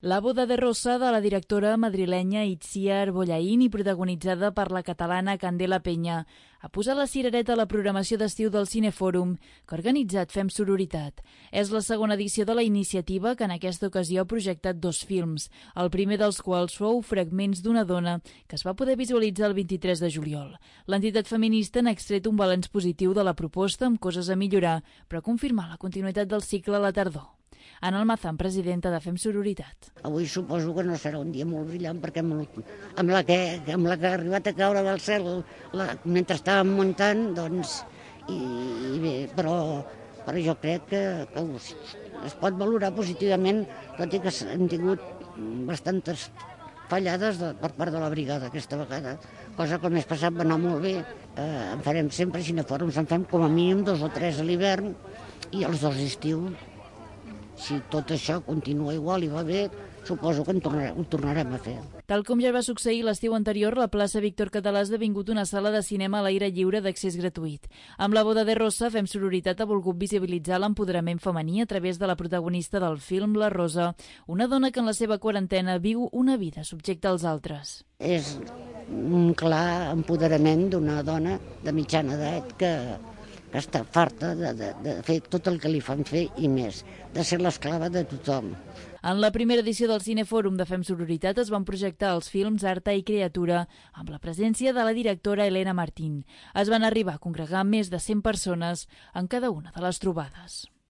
La boda de Rosa, de la directora madrilenya Itziar Bollaín i protagonitzada per la catalana Candela Peña, ha posat la cirereta a la programació d'estiu del Cinefòrum que ha organitzat Fem Sororitat. És la segona edició de la iniciativa que en aquesta ocasió ha projectat 2 films, el primer dels quals fou Fragments d'una dona, que es va poder visualitzar el 23 de juliol. L'entitat feminista n'ha extret un balanç positiu de la proposta amb coses a millorar, però confirmar la continuïtat del cicle a la tardor. Ana Almazán, presidenta de Fem Sororitat. Avui suposo que no serà un dia molt brillant perquè amb la que ha arribat a caure del cel mentre estàvem muntant, doncs, i bé, però jo crec que es pot valorar positivament, tot i que hem tingut bastantes fallades per part de la brigada aquesta vegada, cosa que el mes passat va anar molt bé. En farem sempre cinefòrums, en fem com a mínim 2 o 3 a l'hivern i els 2 d'estiu. Si tot això continua igual i va bé, suposo que ho tornarem a fer. Tal com ja va succeir l'estiu anterior, la plaça Víctor Català ha esdevingut una sala de cinema a l'aire lliure d'accés gratuït. Amb la boda de Rosa, Fem Sororitat ha volgut visibilitzar l'empoderament femení a través de la protagonista del film, la Rosa, una dona que en la seva quarantena viu una vida subjecta als altres. És un clar empoderament d'una dona de mitjana edat que està farta de fer tot el que li fan fer i més, de ser l'esclava de tothom. En la primera edició del Cinefòrum de Fem Sororitat es van projectar els films Arta i Criatura amb la presència de la directora Elena Martín. Es van arribar a congregar més de 100 persones en cada una de les trobades.